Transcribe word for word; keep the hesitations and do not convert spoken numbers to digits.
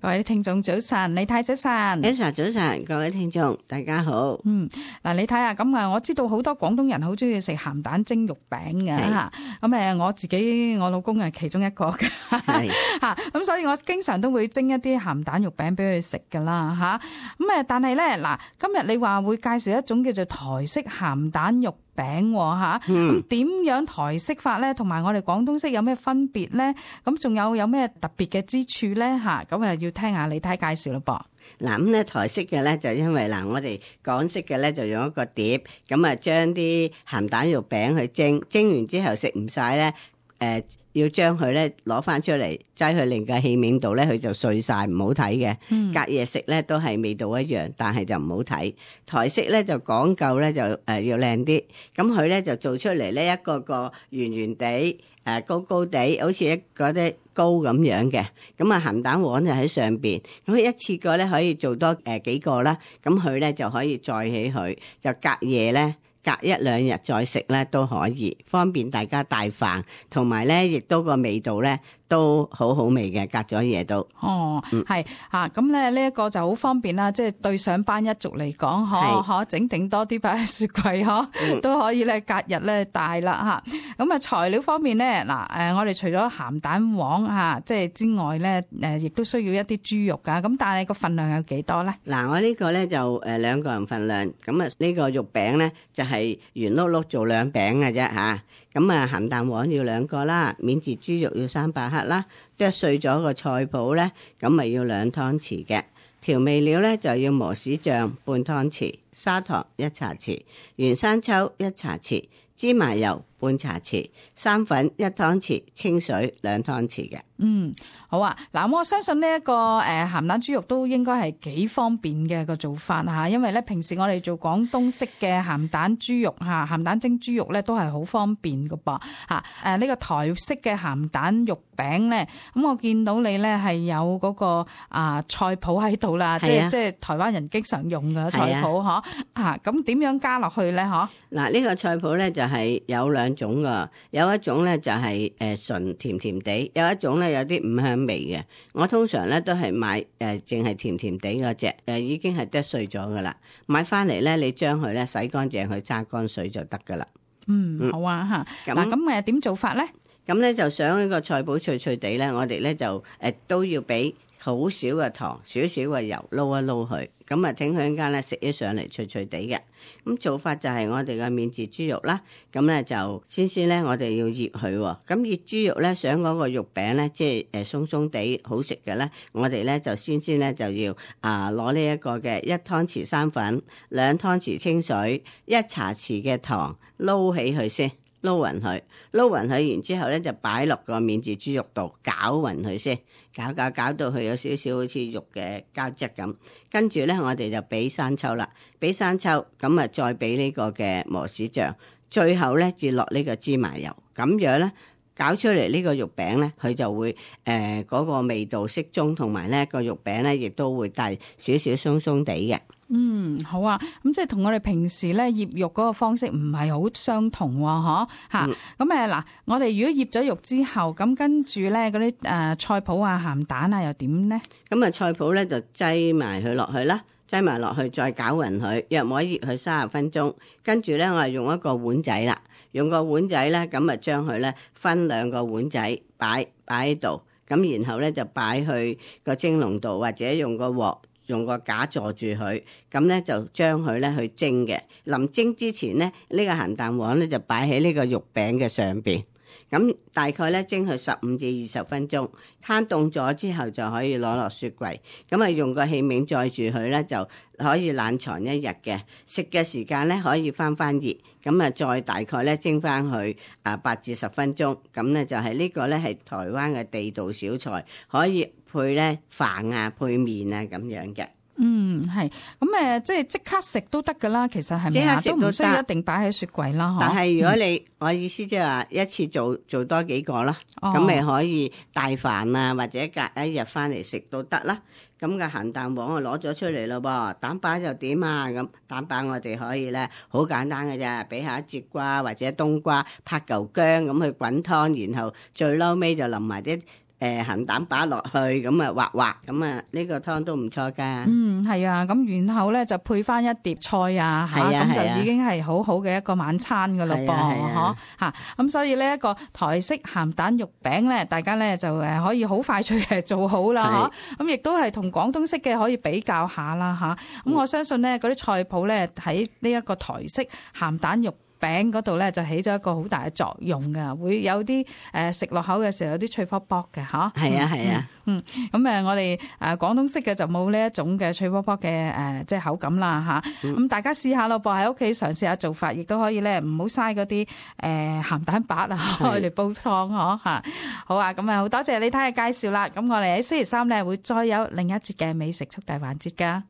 各位聽眾早晨，李太早晨 Elsa 早晨，各位聽眾大家好。嗯，嗱，你睇下咁啊，我知道好多廣東人好中意食鹹蛋蒸肉餅嘅吓，咁誒，我自己我老公係其中一個嘅吓，咁所以我經常都會蒸一啲鹹蛋肉餅俾佢食噶啦吓，咁誒，但係咧嗱，今日你話會介紹一種叫做台式鹹蛋肉餅吓，咁點樣台式法咧？同埋我哋廣東式有咩分別咧？咁仲有有咩特別嘅之處咧？吓，咁啊要聽下李太介紹咯噃。嗱，咁咧台式嘅咧就因為嗱，我哋港式嘅咧就用一個碟，咁啊將啲鹹蛋肉餅去蒸，蒸完之後食唔晒咧，誒、呃。要將佢咧攞翻出嚟，擠去另個器皿度咧，佢就碎晒，唔好睇嘅。嗯、隔夜食咧都係味道一樣，但係就唔好睇。台式咧就講究咧就誒、呃、要靚啲，咁佢咧就做出嚟咧一個個圓圓地，誒、呃、高高地，好似一嗰啲糕咁樣嘅。咁啊鹹蛋黃就喺上邊，咁佢一次過咧可以做多誒、呃、幾個啦。咁佢咧就可以載起佢，就隔夜咧。隔一兩日再食咧都可以，方便大家帶飯，同埋咧亦都個味道咧都好好味嘅，隔咗夜都。哦，係嚇，咁咧呢一個就好方便啦，即係對上班一族嚟講，可可整定多啲擺喺雪櫃，可、嗯、都可以咧隔日咧帶啦嚇。咁啊材料方面咧，嗱誒，我哋除咗鹹蛋黃嚇即係之外咧，誒亦都需要一啲豬肉㗎。咁但係個份量有幾多咧？嗱，我呢個咧就誒兩個人份量，咁啊呢個肉餅咧就係、是。係圓碌碌做兩餅嘅啫吓，咁啊鹹蛋黃要兩個啦，免治豬肉要三百克啦，剁碎咗個菜脯咧，咁咪要兩湯匙嘅。調味料咧就要磨豉醬半湯匙，砂糖一茶匙，原生抽一茶匙，芝麻油半茶匙，生粉一湯匙，清水兩湯匙嘅。嗯，好啊，嗱，我相信呢一個誒鹹蛋豬肉都應該係幾方便嘅個做法吓，因為咧平時我哋做廣東式嘅鹹蛋豬肉吓，鹹蛋蒸豬肉咧都係好方便噶噃吓。誒呢個台式嘅鹹蛋肉餅咧，咁我見到你咧係有嗰個啊菜脯喺度啦，即係即係台灣人經常用嘅菜脯嗬吓，咁點樣加落去咧嗬？嗱，呢個菜脯咧就係有兩種噶，有一種咧就係誒純甜甜地，有一種咧有啲五香味嘅。我通常咧都係買誒淨係甜甜地嗰隻，誒已經係剁碎咗噶啦。買翻嚟咧，你將佢咧洗乾淨，去揸乾水就得噶啦。嗯，好啊吓。嗱，咁誒點做法咧？咁咧就想呢個菜脯脆脆地咧，我哋咧就誒都要俾好少嘅糖，少少嘅油撈一撈佢，咁啊整佢一間咧食起上嚟脆脆地嘅。咁做法就係我哋嘅免治豬肉啦，咁咧就先先咧我哋要醃佢，咁醃豬肉咧想嗰個肉餅咧即係誒鬆鬆地好食嘅咧，我哋咧就先先咧就要啊攞呢一個嘅一湯匙生粉，兩湯匙清水，一茶匙嘅糖撈起佢先。撈勻佢，撈勻佢，然之後咧就擺落個免治豬肉度攪勻佢先，攪攪攪到佢有少少好似肉嘅膠質咁。跟住咧，我哋就俾生抽啦，俾生抽，咁啊再俾呢個嘅磨豉醬，最後咧至落呢個芝麻油，咁樣咧搞出嚟呢個肉餅咧，佢就會誒嗰、呃那個味道適中，同埋咧個肉餅咧亦都會帶少少鬆鬆地嘅。嗯，好啊，咁即係同我哋平時咧醃肉嗰個方式唔係好相同喎，嗬吓。咁誒嗱，我哋如果醃咗肉之後，咁跟住咧嗰啲誒菜脯啊、鹹蛋啊，又點咧？咁啊，菜脯咧就擠埋佢落去啦，擠埋落去再攪勻佢，約莫醃佢三十分鐘。跟住咧，我係用一個碗仔啦，用個碗仔咧，咁啊將佢咧分兩個碗仔擺擺喺度，咁然後咧就擺去個蒸籠度，或者用個鑊。用個架坐住佢，咁咧就將佢咧去蒸嘅。臨蒸之前咧，呢、這個鹹蛋黃咧就擺喺呢個肉餅嘅上邊。咁大概咧蒸佢十五至二十分鐘，攤凍咗之後就可以攞落雪櫃。咁啊用個器皿載住佢咧，就可以冷藏一日嘅。食嘅時間咧可以翻翻熱，咁啊再大概咧蒸翻去啊八至十分鐘。咁咧就係呢個咧係台灣嘅地道小菜，可以配咧飯啊、配麵啊咁樣嘅。嗯，係咁誒，即係即刻食都得噶啦。其實係咪啊？都唔需要一定擺喺雪櫃啦。但係如果你、嗯、我意思即係話一次做做多幾個啦，咁咪、哦、可以帶飯啊，或者隔一日翻嚟食都得啦。咁嘅鹹蛋黃我攞咗出嚟咯噃，蛋白又點啊？咁蛋白我哋可以咧好簡單嘅啫，俾下節瓜或者冬瓜，拍嚿薑咁去滾湯，然後最嬲尾就淋埋啲誒鹹蛋白落去，咁啊滑滑，咁啊呢個湯都唔錯噶。嗯，係啊，咁然後咧就配翻一碟菜啊，嚇咁、係啊係啊就已經係好好嘅一個晚餐噶咯噃，係啊係啊嗬嚇。咁所以呢一個台式鹹蛋肉餅咧，大家咧就誒可以好快脆嘅做好啦，嗬。咁亦都係同廣東式嘅可以比較下啦，嚇。咁我相信咧嗰啲菜譜咧喺呢一個台式鹹蛋肉餅嗰度咧就起咗一個好大嘅作用㗎，會有啲誒食落口嘅時候有啲脆卜卜嘅嚇。係啊係啊，嗯，咁誒我哋誒廣東式嘅就冇呢一種嘅脆卜卜嘅誒即係口感啦嚇。咁大家試下咯噃，喺屋企嘗試下做法，亦都可以咧唔好嘥嗰啲誒鹹蛋白啊，開嚟煲湯嗬嚇。好啊，咁啊好多謝李太嘅介紹啦。咁我哋喺星期三咧會再有另一節嘅美食速遞環節㗎。